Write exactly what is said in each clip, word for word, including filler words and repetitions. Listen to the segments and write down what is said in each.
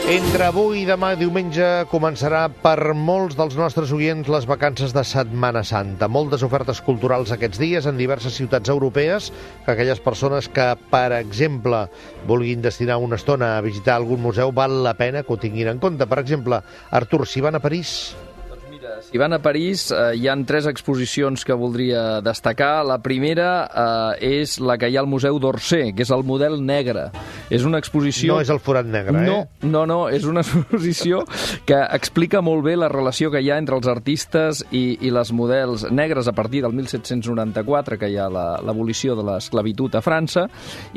Entre avui i demà diumenge començarà per molts dels nostres oients les vacances de Setmana Santa. Moltes ofertes culturals aquests dies en diverses ciutats europees que aquelles persones que, per exemple, vulguin destinar una estona a visitar algun museu val la pena que ho tinguin en compte. Per exemple, Artur, si van a París... Si van a París, eh, hi ha tres exposicions que voldria destacar. La primera eh, és la que hi ha al Museu d'Orsay, que és el model negre. És una exposició... No és el forat negre, no, eh? No, no, és una exposició que explica molt bé la relació que hi ha entre els artistes i, i les models negres a partir del disset noranta-quatre, que hi ha l'abolició de l'esclavitud a França,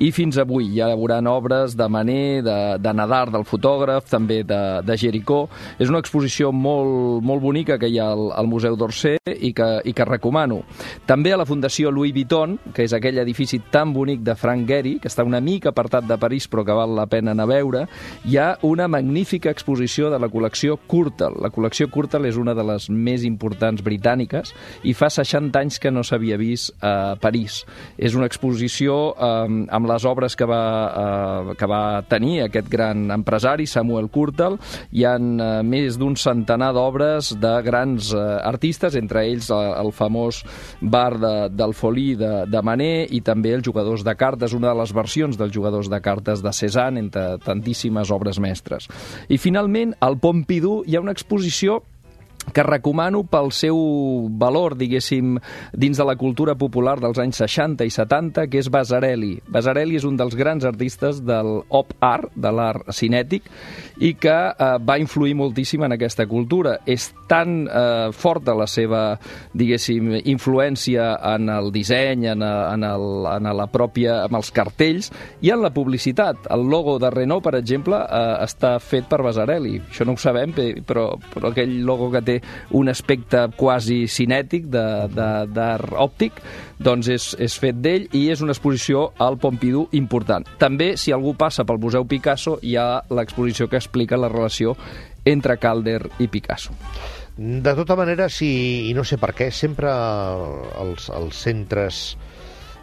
i fins avui. Hi haurà obres de Manet, de, de Nadar, del fotògraf, també de, de Géricault. És una exposició molt, molt bonica que hi ha al, al Museu d'Orsay i que, i que recomano. També a la Fundació Louis Vuitton, que és aquell edifici tan bonic de Frank Gehry, que està una mica apartat de París però que val la pena anar a veure, hi ha una magnífica exposició de la col·lecció Courtauld. La col·lecció Courtauld és una de les més importants britàniques i fa seixanta anys que no s'havia vist a París. És una exposició eh, amb les obres que va, eh, que va tenir aquest gran empresari, Samuel Courtauld. Hi ha eh, més d'un centenar d'obres de grans artistes, entre ells el famós bar de, del Folí de, de Manet i també els jugadors de cartes, una de les versions dels jugadors de cartes de Cézanne, entre tantíssimes obres mestres. I finalment, al Pompidou hi ha una exposició que recomano pel seu valor, diguéssim, dins de la cultura popular dels anys seixanta i setanta, que és Vasarely. Vasarely és un dels grans artistes del op art, de l'art cinètic, i que eh, va influir moltíssim en aquesta cultura. És tan eh, forta la seva, diguéssim, influència en el disseny, en, a, en, el, en la pròpia, en els cartells i en la publicitat. El logo de Renault, per exemple, eh, està fet per Vasarely. Això no ho sabem, però, però aquell logo que té un aspecte quasi cinètic d'art òptic, doncs és, és fet d'ell i és una exposició al Pompidou important. També, si algú passa pel Museu Picasso, hi ha l'exposició que explica la relació entre Calder i Picasso. De tota manera, si, i no sé per què, sempre els, els centres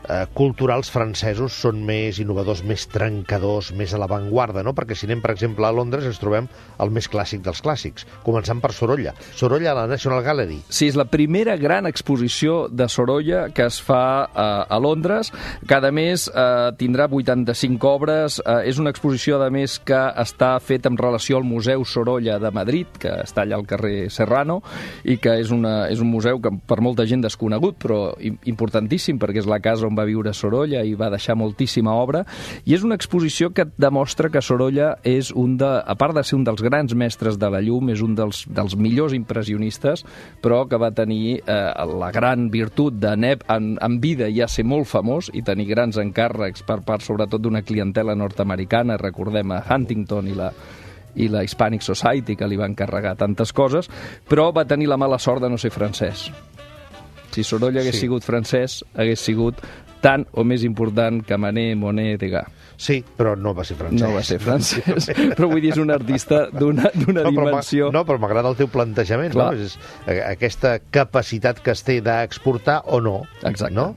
eh, culturals francesos són més innovadors, més trencadors, més a l'avantguarda, no? Perquè si anem, per exemple, a Londres ens trobem el més clàssic dels clàssics, començant per Sorolla. Sorolla a la National Gallery. Sí, és la primera gran exposició de Sorolla que es fa eh, a Londres. Cada mes eh, tindrà vuitanta-cinc obres. Eh, és una exposició, a més, que està feta en relació al Museu Sorolla de Madrid, que està allà al carrer Serrano, i que és, una, és un museu que per molta gent desconegut, però importantíssim, perquè és la casa on va viure Sorolla i va deixar moltíssima obra, i és una exposició que demostra que Sorolla és un de, a part de ser un dels grans mestres de la llum, és un dels, dels millors impressionistes, però que va tenir eh, la gran virtut de en, en vida ja ser molt famós i tenir grans encàrrecs per part sobretot d'una clientela nord-americana, recordem a Huntington i la i la Hispanic Society, que li va encarregar tantes coses, però va tenir la mala sort de no ser francès. Si Sorolla hagués sí. sigut francès, hagués sigut tant o més important que Manet, Monet, Degas. Sí, però no va ser francès. No va ser francès, però vull dir, és un artista d'una no, dimensió... No, però m'agrada el teu plantejament, no? És aquesta capacitat que es té d'exportar o no. Exacte. No?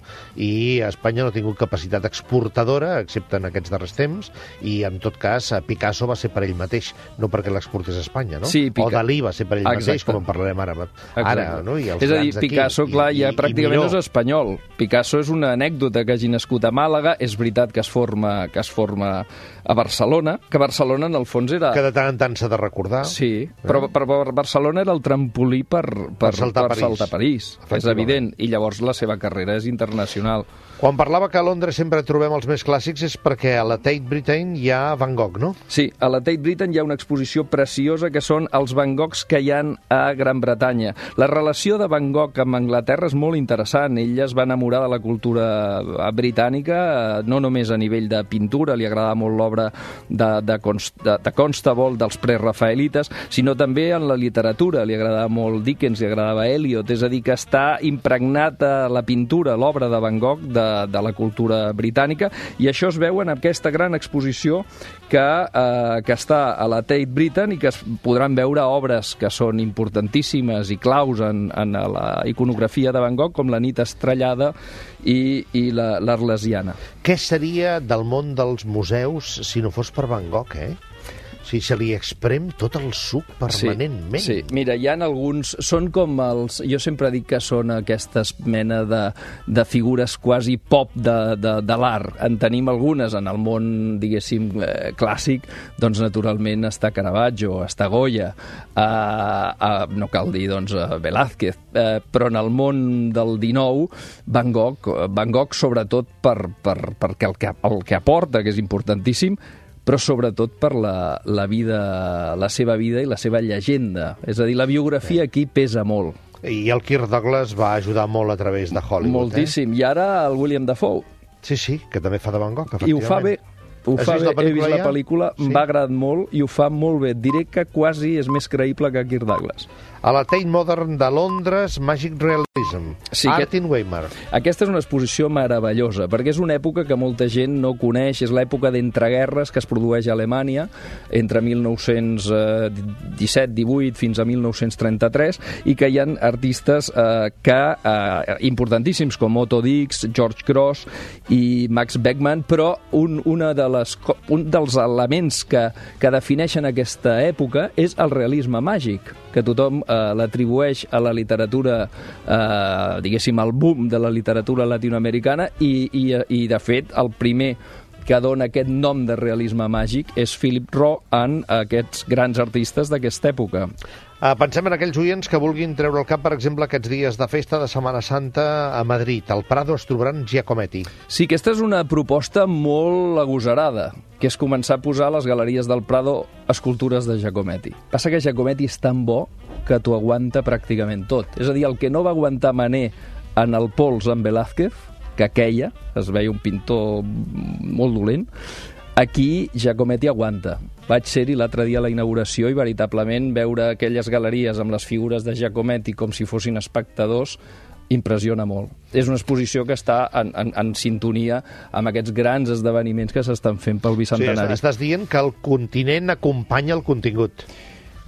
I Espanya no ha tingut capacitat exportadora, excepte en aquests darrers temps, i en tot cas Picasso va ser per ell mateix, no perquè l'exportés a Espanya, no? Sí, Pica... O Dalí va ser per ell Exacte. mateix, com en parlarem ara. Ara, no? I els és a dir, Picasso, aquí, clar, i, ja i, pràcticament i no és espanyol. Picasso és una anècdota que hagi nascut a Màlaga, és veritat que es forma, que es forma a Barcelona, que Barcelona en el fons era... Que de tant en tant s'ha de recordar. Sí, però per, per Barcelona era el trampolí per, per, per saltar per París. Saltar París, és evident, i llavors la seva carrera és internacional. Quan parlava que a Londres sempre trobem els més clàssics és perquè a la Tate Britain hi ha Van Gogh, no? Sí, a la Tate Britain hi ha una exposició preciosa que són els Van Goghs que hi ha a Gran Bretanya. La relació de Van Gogh amb Anglaterra és molt interessant. Ell es va enamorar de la cultura britànica, no només a nivell de pintura, li agradava molt l'obra de, de, de, de Constable, dels prerafaelites, sinó també en la literatura. Li agradava molt Dickens, li agradava Eliot, és a dir, que està impregnat a la pintura, l'obra de Van Gogh, de de la cultura britànica, i això es veu en aquesta gran exposició que, eh, que està a la Tate Britain i que es podran veure obres que són importantíssimes i claus en, en la iconografia de Van Gogh, com la nit estrellada i, i l'Arlesiana. Què seria del món dels museus si no fos per Van Gogh, eh? Sí, se li exprem tot el suc permanentment. Sí, sí. Mira, hi ha alguns... Són com els... Jo sempre dic que són aquestes mena de, de figures quasi pop de, de, de l'art. En tenim algunes en el món, diguéssim, eh, clàssic, doncs naturalment està Caravaggio, està Goya, eh, eh, no cal dir, doncs, Velázquez, eh, però en el món del dinou, Van Gogh, Van Gogh sobretot per, per, perquè el que, el que aporta, que és importantíssim, però sobretot per la, la vida, la seva vida i la seva llegenda. És a dir, la biografia aquí pesa molt. I el Kirk Douglas va ajudar molt a través de Hollywood. Moltíssim. Eh? I ara el William Dafoe. Sí, sí, que també fa de Van Gogh, efectivament. I ho fa bé. Ho fa bé. He vist la pel·lícula, em va agradar molt i ho fa molt bé. Diré que quasi és més creïble que Kirk Douglas. A la Tate Modern de Londres, Magic Realism, sí, Art in Weimar. Aquesta és una exposició meravellosa, perquè és una època que molta gent no coneix, és l'època d'entreguerres que es produeix a Alemanya, entre mil nou-cents disset divuit fins a mil nou-cents trenta-tres, i que hi ha artistes eh, que, eh, importantíssims, com Otto Dix, George Grosz i Max Beckmann, però un, una de les, un dels elements que, que defineixen aquesta època és el realisme màgic, que tothom eh, l'atribueix a la literatura, eh, diguéssim, al boom de la literatura latinoamericana i, i, i, de fet, el primer que dona aquest nom de realisme màgic és Philip Roth en aquests grans artistes d'aquesta època. Uh, pensem en aquells oients que vulguin treure el cap, per exemple, aquests dies de festa de Setmana Santa a Madrid. Al Prado es trobaran Giacometti. Sí, aquesta és una proposta molt agosarada, que és començar a posar a les galeries del Prado escultures de Giacometti. Passa que Giacometti és tan bo que t'ho aguanta pràcticament tot. És a dir, el que no va aguantar Manet en el pols amb Velázquez, que queia, es veia un pintor molt dolent, aquí Giacometti aguanta. Vaig ser-hi l'altre dia a la inauguració i veritablement veure aquelles galeries amb les figures de Giacometti com si fossin espectadors impressiona molt. És una exposició que està en, en, en sintonia amb aquests grans esdeveniments que s'estan fent pel bicentenari. Sí, estàs dient que el continent acompanya el contingut.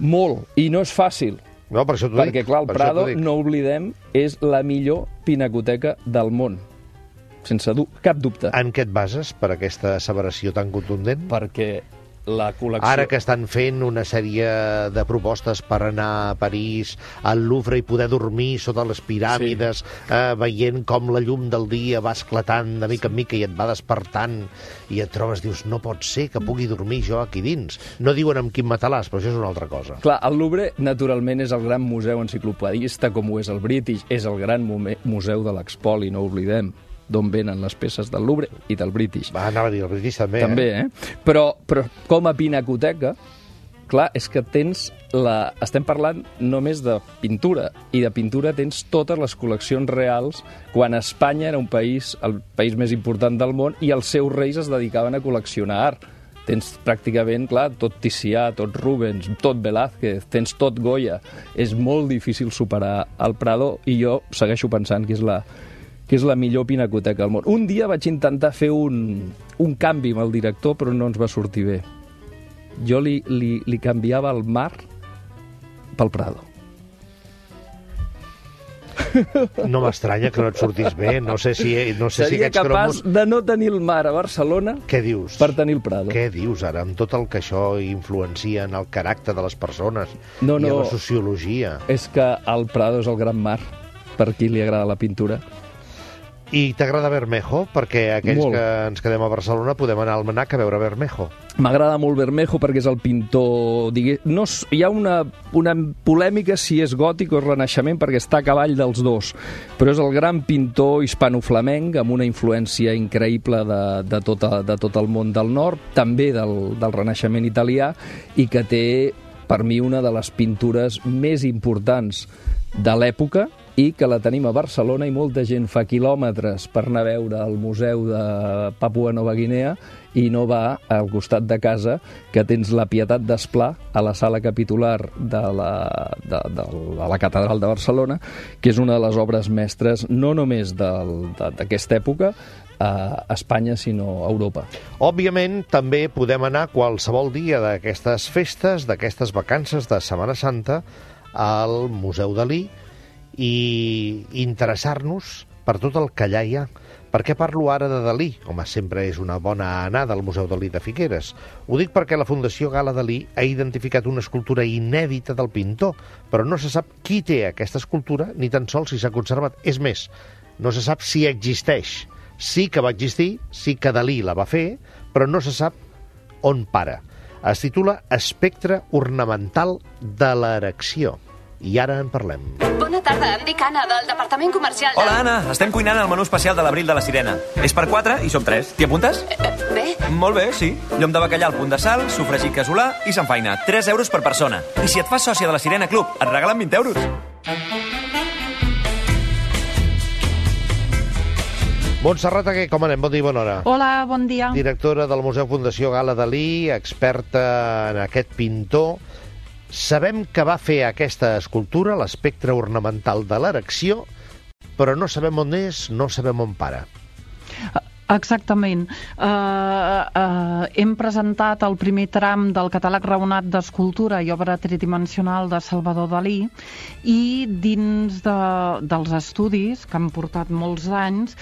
Molt, i no és fàcil. No, per això t'ho dic. Perquè, clar, el Prado, no oblidem, és la millor pinacoteca del món. Sense du cap dubte. En què et bases per aquesta asseveració tan contundent? Perquè la col·lecció... Ara que estan fent una sèrie de propostes per anar a París, al Louvre, i poder dormir sota les piràmides, sí. eh, veient com la llum del dia va esclatant de mica en mica i et va despertant, i et trobes, dius, no pot ser que pugui dormir jo aquí dins. No diuen amb quin matalàs, però això és una altra cosa. Clar, el Louvre, naturalment, és el gran museu enciclopedista, com ho és el British, és el gran museu de l'Expoli, no ho oblidem, d'on venen les peces del Louvre i del British. Va, anava a dir, el British també, també eh? eh? Però, però com a pinacoteca, clar, és que tens la... Estem parlant només de pintura, i de pintura tens totes les col·leccions reals, quan Espanya era un país, el país més important del món, i els seus reis es dedicaven a col·leccionar art. Tens pràcticament, clar, tot Ticià, tot Rubens, tot Velázquez, tens tot Goya. És molt difícil superar el Prado, i jo segueixo pensant que és la que és la millor pinacoteca del món. Un dia vaig intentar fer un, un canvi amb el director, però no ens va sortir bé. Jo li, li, li canviava el mar pel Prado. No m'estranya que no et sortís bé. No sé si, no sé Seria si aquests capaç cromos... de no tenir el mar a Barcelona. Què dius? Per tenir el Prado. Què dius ara, amb tot el que això influencia en el caràcter de les persones no, no, i en la sociologia? És que el Prado és el gran mar, per qui li agrada la pintura. I t'agrada Bermejo? Perquè aquells molt. Que ens quedem a Barcelona podem anar al Mnac a veure Bermejo. M'agrada molt Bermejo perquè és el pintor... Digue... No, hi ha una, una polèmica si és gòtic o renaixement perquè està a cavall dels dos, però és el gran pintor hispano-flamenc amb una influència increïble de, de, tota, de tot el món del nord, també del, del renaixement italià, i que té, per mi, una de les pintures més importants de l'època, i que la tenim a Barcelona i molta gent fa quilòmetres per anar a veure el museu de Papua Nova Guinea i no va al costat de casa, que tens la Pietat d'Esplà a la sala capitular de la, de, de, de la Catedral de Barcelona, que és una de les obres mestres no només d'aquesta època a Espanya, sinó a Europa. Òbviament, també podem anar qualsevol dia d'aquestes festes, d'aquestes vacances de Setmana Santa, al Museu Dalí, i interessar-nos per tot el que allà hi ha, Per què parlo ara de Dalí? Home, sempre és una bona anada al Museu Dalí de Figueres. Ho dic perquè la Fundació Gala Dalí ha identificat una escultura inèdita del pintor, però no se sap qui té aquesta escultura ni tan sols si s'ha conservat. És més, no se sap si existeix. Sí que va existir, sí que Dalí la va fer, però no se sap on para. Es titula Espectre ornamental de l'erecció. I ara en parlem. Bona tarda, em dic Anna, del Departament Comercial de... Hola, Anna. Estem cuinant el menú especial de l'abril de la Sirena. És per quatre i som tres. T'hi apuntes? Eh, bé? Molt bé, sí. Llom de bacallà al punt de sal, sofregit casolà i s'enfaina. tres euros per persona. I si et fas sòcia de la Sirena Club, et regalen vint euros. Montserrat Aguer, com anem? Bon dia i bona hora. Hola, bon dia. Directora del Museu Fundació Gala Dalí, experta en aquest pintor. Sabem que va fer aquesta escultura, l'espectre ornamental de l'erecció, però no sabem on és, no sabem on para. Exactament. Uh, uh, hem presentat el primer tram del catàleg raonat d'escultura i obra tridimensional de Salvador Dalí i dins de, dels estudis, que han portat molts anys,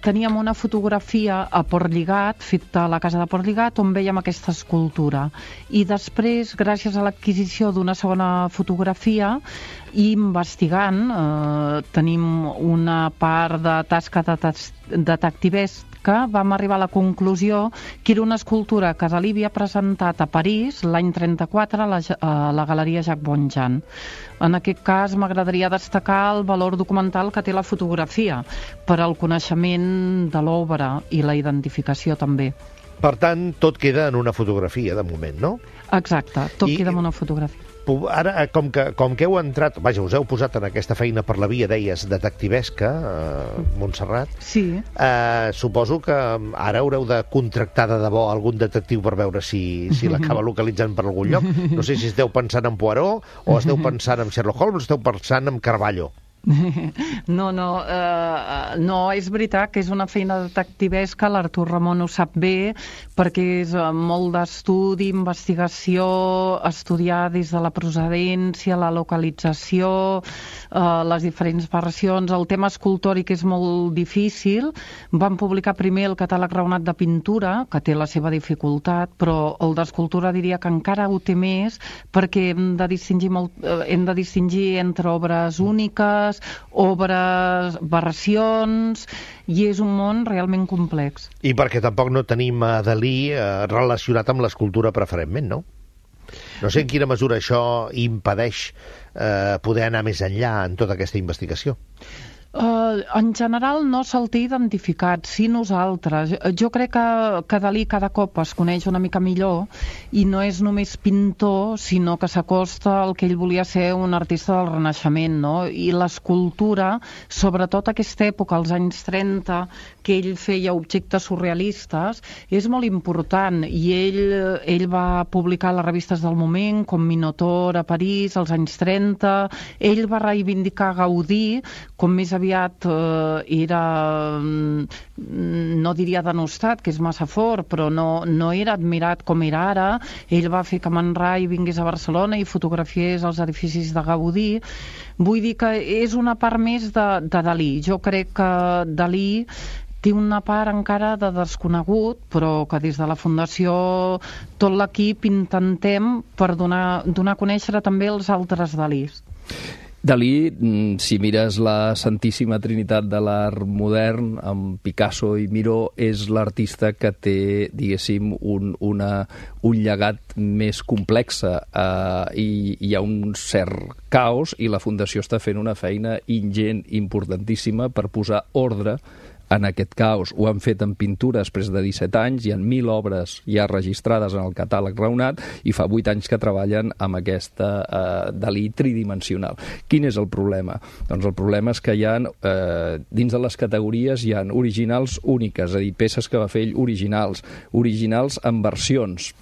teníem una fotografia a Portlligat, feta a la casa de Portlligat, on veiem aquesta escultura. I després, gràcies a l'adquisició d'una segona fotografia, i investigant, eh, tenim una part de tasca detectivesca, vam arribar a la conclusió que era una escultura que Dalí havia presentat a París l'any trenta-quatre a la, a la Galeria Jacques Bonjean. En aquest cas m'agradaria destacar el valor documental que té la fotografia per al coneixement de l'obra i la identificació també. Per tant, tot queda en una fotografia de moment, no? Exacte, tot I... queda en una fotografia. Ara, com que, com que heu entrat, vaja, us heu posat en aquesta feina per la via, deies, detectivesca, eh, Montserrat. Sí. Eh, suposo que ara haureu de contractar de debò algun detectiu per veure si, si l'acaba localitzant per algun lloc. No sé si esteu pensant en Poirot, o esteu pensant en Sherlock Holmes, o esteu pensant en Carballo. No, no, eh, no, és veritat que és una feina detectivesca, l'Artur Ramon ho sap bé, perquè és molt d'estudi, investigació, estudiar des de la procedència, la localització, eh, les diferents versions. El tema escultòric és molt difícil. Vam publicar primer el catàleg raonat de pintura, que té la seva dificultat, però el d'escultura diria que encara ho té més, perquè hem de distingir, molt, eh, hem de distingir entre obres úniques, obres, versions, i és un món realment complex. I perquè tampoc no tenim a Dalí eh, relacionat amb l'escultura preferentment, no? No sé en quina mesura això impedeix eh, poder anar més enllà en tota aquesta investigació. Uh, en general no se'l té identificat, sí nosaltres. Jo crec que, que Dalí cada cop es coneix una mica millor i no és només pintor, sinó que s'acosta al que ell volia ser un artista del Renaixement, no? I l'escultura, sobretot aquesta època, als anys trenta, que ell feia objectes surrealistes, és molt important, i ell, ell va publicar les revistes del moment, com Minotaur a París, als anys trenta. Ell va reivindicar Gaudí, com més aviat eh, era, no diria denostat, que és massa fort, però no, no era admirat com era ara. Ell va fer que Man Ray vingués a Barcelona i fotografiés els edificis de Gaudí. Vull dir que és una part més de, de Dalí. Jo crec que Dalí té una part encara de desconegut, però que des de la Fundació tot l'equip intentem per donar, donar a conèixer també els altres Dalís. Dalí, si mires la Santíssima Trinitat de l'art modern, amb Picasso i Miró, és l'artista que té, diguéssim, un, una, un llegat més complex, eh, i hi ha un cert caos, i la Fundació està fent una feina ingent, importantíssima, per posar ordre en aquest caos. Ho han fet en pintura després de disset anys, hi ha mil obres ja registrades en el catàleg raonat i fa vuit anys que treballen amb aquesta eh, Dalí tridimensional. Quin és el problema? Doncs el problema és que hi ha, eh, dins de les categories hi ha originals úniques, és a dir, peces que va fer ell originals, originals en versions.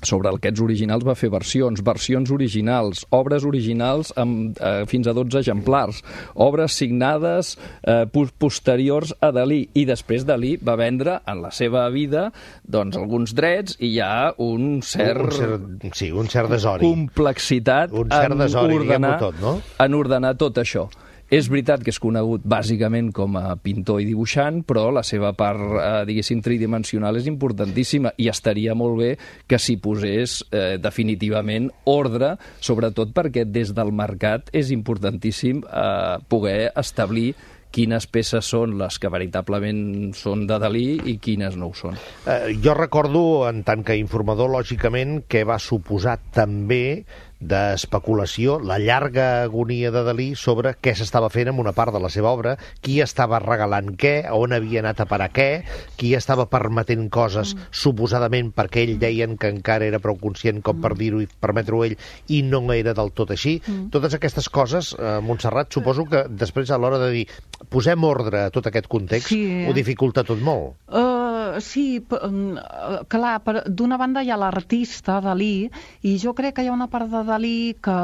Sobre aquests originals va fer versions, versions originals, obres originals amb eh, fins a dotze exemplars, obres signades eh, posteriors a Dalí, i després Dalí va vendre en la seva vida doncs, alguns drets, i hi ha un cert, un cert, sí, un cert desori, complexitat un cert desori, en ordenar, tot, no? en ordenar tot això. És veritat que és conegut bàsicament com a pintor i dibuixant, però la seva part, eh, diguéssim, tridimensional és importantíssima i estaria molt bé que s'hi posés eh, definitivament ordre, sobretot perquè des del mercat és importantíssim eh, poder establir quines peces són les que veritablement són de Dalí i quines no ho són. Eh, jo recordo, en tant que informador, lògicament, que va suposar també d'especulació la llarga agonia de Dalí sobre què s'estava fent amb una part de la seva obra, qui estava regalant què, on havia anat a parar què, qui estava permetent coses mm. suposadament perquè ell deien que encara era prou conscient com per dir-ho i permetre-ho ell i no era del tot així. Mm. Totes aquestes coses, eh, Montserrat, suposo que després a l'hora de dir posem ordre a tot aquest context, sí, eh? Ho dificulta tot molt. Uh, sí, uh, clar, d'una banda hi ha l'artista, Dalí, i jo crec que hi ha una part de Dalí que,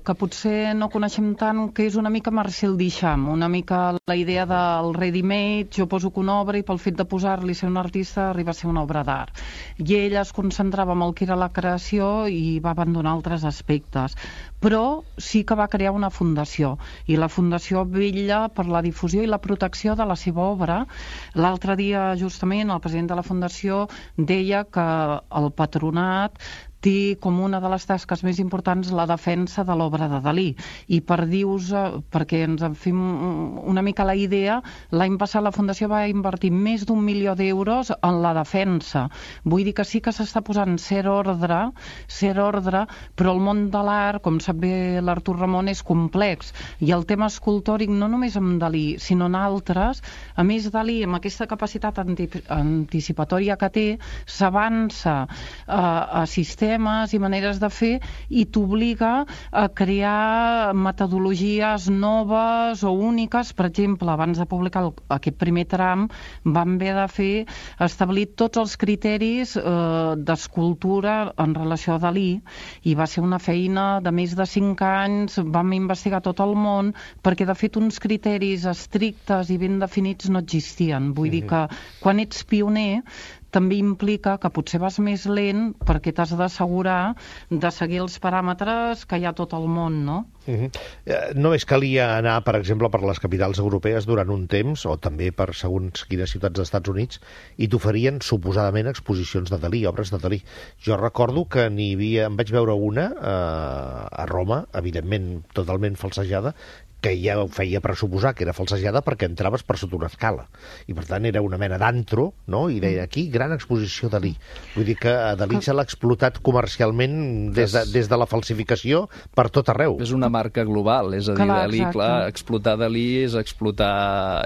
que potser no coneixem tant, que és una mica Marcel Duchamp, una mica la idea del ready-made, jo poso que una obra i pel fet de posar-li ser un artista arriba a ser una obra d'art. I ell es concentrava en el que era la creació i va abandonar altres aspectes. Però sí que va crear una fundació, i la fundació vetlla per la difusió i la protecció de la seva obra. L'altre dia, justament, el president de la fundació deia que el patronat té com una de les tasques més importants la defensa de l'obra de Dalí. I per dir-vos, perquè ens en fem una mica la idea, l'any passat la Fundació va invertir més d'un milió d'euros en la defensa. Vull dir que sí que s'està posant cert ordre, cert ordre, però el món de l'art, com sap bé l'Artur Ramon, és complex. I el tema escultòric, no només amb Dalí, sinó en altres, a més Dalí, amb aquesta capacitat anticipatòria que té, s'avança a, a sistemes i maneres de fer i t'obliga a crear metodologies noves o úniques. Per exemple, abans de publicar el, aquest primer tram vam haver de fer establir tots els criteris eh, d'escultura en relació a Dalí i va ser una feina de més de cinc anys, vam investigar tot el món perquè de fet uns criteris estrictes i ben definits no existien. Vull dir que quan ets pioner també implica que potser vas més lent perquè t'has d'assegurar de seguir els paràmetres que hi ha a tot el món, no? Uh-huh. Només calia anar, per exemple, per les capitals europees durant un temps, o també per segons quines ciutats dels Estats Units, i t'oferien suposadament exposicions de Dalí, obres de Dalí. Jo recordo que n'hi havia, em vaig veure una eh, a Roma, evidentment totalment falsejada, que ja ho feia pressuposar que era falsejada perquè entraves per sota una escala. I per tant era una mena d'antro, no? I deia aquí, gran exposició Dalí. Vull dir que a Dalí se l'ha explotat comercialment des de, des de la falsificació per tot arreu. És una marca global, és a dir, clar, Dalí, clar, explotar Dalí és explotar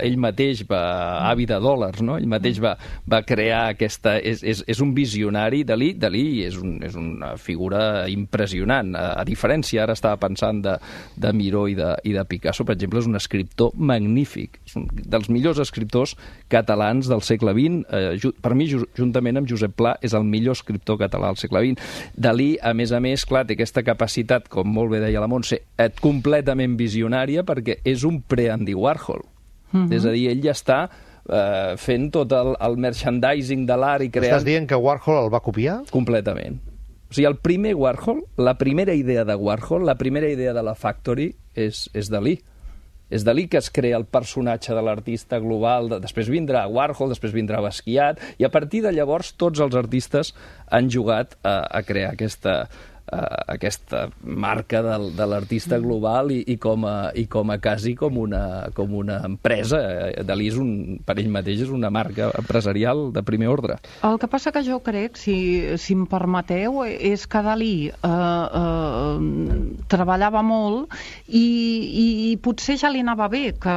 ell mateix, va avi de dòlars, no? Ell mateix va, va crear aquesta... És, és, és un visionari, Dalí, Dalí és, un, és una figura impressionant. A, a diferència, ara estava pensant de, de Miró i de, i de Picasso, per exemple, és un escriptor magnífic, és un dels millors escriptors catalans del segle vint. Eh, per mi, juntament amb Josep Pla, és el millor escriptor català del segle vint. Dalí, a més a més, clar, té aquesta capacitat, com molt bé deia la Montse, completament visionària, perquè és un pre-Andy Warhol. Mm-hmm. És a dir, ell ja està eh, fent tot el, el merchandising de l'art i creant... Estàs dient que Warhol el va copiar? Completament. O sigui, el primer Warhol, la primera idea de Warhol, la primera idea de la Factory és, és Dalí. És Dalí que es crea el personatge de l'artista global, de, després vindrà Warhol, després vindrà Basquiat, i a partir de llavors tots els artistes han jugat a, a crear aquesta... Uh, aquesta marca del, de l'artista global i, i, com a, i com a quasi com una, com una empresa. Dalí és un, per ell mateix és una marca empresarial de primer ordre. El que passa que jo crec, si, si em permeteu, és que Dalí eh, eh, treballava molt i, i, i potser ja li anava bé que,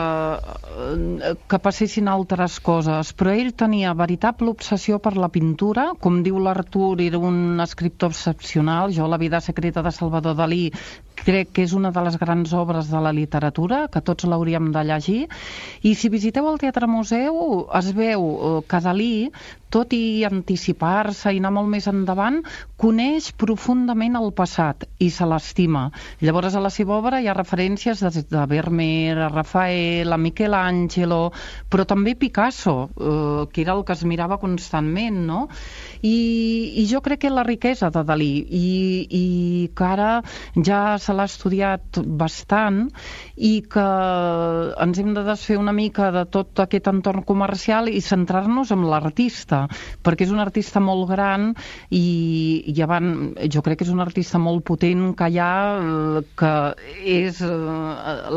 que passessin altres coses, però ell tenia veritable obsessió per la pintura. Com diu l'Artur, era un escriptor excepcional. Jo la vida secreta de Salvador Dalí crec que és una de les grans obres de la literatura, que tots l'hauríem de llegir. I si visiteu el Teatre Museu es veu que Dalí, tot i anticipar-se i anar molt més endavant, coneix profundament el passat i se l'estima. Llavors a la seva obra hi ha referències des de Vermeer, a Rafael, a Michelangelo, però també Picasso, eh, que era el que es mirava constantment, no? I, i jo crec que la riquesa de Dalí i, i que ara ja se l'ha estudiat bastant i que ens hem de desfer una mica de tot aquest entorn comercial i centrar-nos en l'artista, perquè és un artista molt gran i, i avant, jo crec que és un artista molt potent que hi ha, que és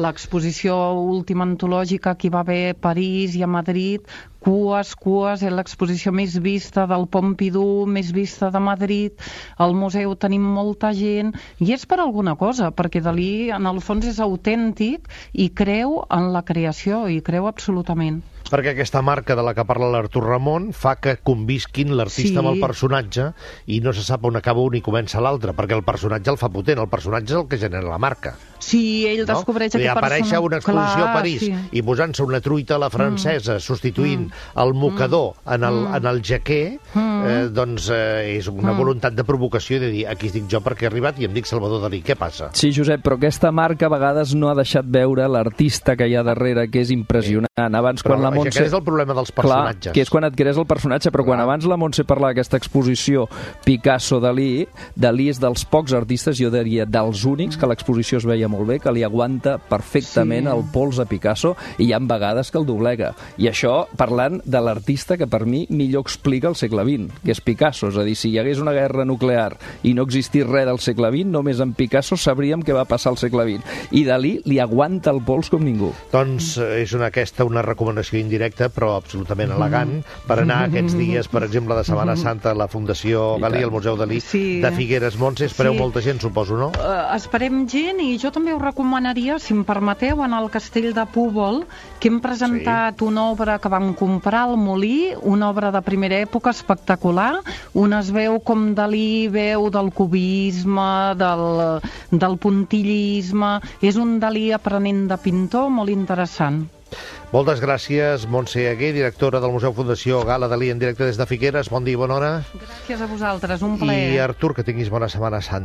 l'exposició última antològica que hi va haver a París i a Madrid, cues, cues, és l'exposició més vista del Pompidou, més vista de Madrid, al museu tenim molta gent, i és per alguna cosa, perquè Dalí en el fons és autèntic i creu en la creació, i creu absolutament. Perquè aquesta marca de la que parla l'Artur Ramon fa que convisquin l'artista sí. amb el personatge i no se sap on acaba un i comença l'altre, perquè el personatge el fa potent, el personatge és el que genera la marca. Sí, ell no? descobreix aquest personatge. Aparèixer una exposició Clar, a París sí. i posant-se una truita a la francesa, mm. substituint mm. el mocador mm. en, el, en el jaquer, mm. eh, doncs eh, és una mm. voluntat de provocació i de dir, aquí estic jo perquè he arribat i em dic Salvador Dalí, què passa? Sí, Josep, però aquesta marca a vegades no ha deixat veure l'artista que hi ha darrere, que és impressionant. Abans, però quan la Montse... Aquest és el problema dels personatges. Clar, que és quan et crees el personatge, però Clar. quan abans la Montse parlava d'aquesta exposició Picasso-Dalí, Dalí és dels pocs artistes, jo diria dels únics, que l'exposició es veia molt bé, que li aguanta perfectament sí. el pols a Picasso, i hi ha vegades que el doblega. I això parlant de l'artista que per mi millor explica el segle vint, que és Picasso. És a dir, si hi hagués una guerra nuclear i no existís res del segle vint, només en Picasso sabríem què va passar al segle vint. I Dalí li aguanta el pols com ningú. Doncs és una, aquesta una recomanació indirecta, però absolutament elegant, per anar aquests dies, per exemple, de Setmana Santa a la Fundació Galí, al Museu Dalí sí. de Figueres. Montse, espereu sí. molta gent, suposo, no? Uh, esperem gent, i jo també us recomanaria, si em permeteu, en el Castell de Púbol, que hem presentat sí. una obra que vam comprar al Molí, una obra de primera època espectacular, on es veu com Dalí veu del cubisme, del, del puntillisme, és un Dalí aprenent de pintor molt interessant. Moltes gràcies, Montse Aguer, directora del Museu Fundació Gala Dalí en directe des de Figueres. Bon dia i bona hora. Gràcies a vosaltres, un plaer. I Artur, que tinguis bona Setmana Santa.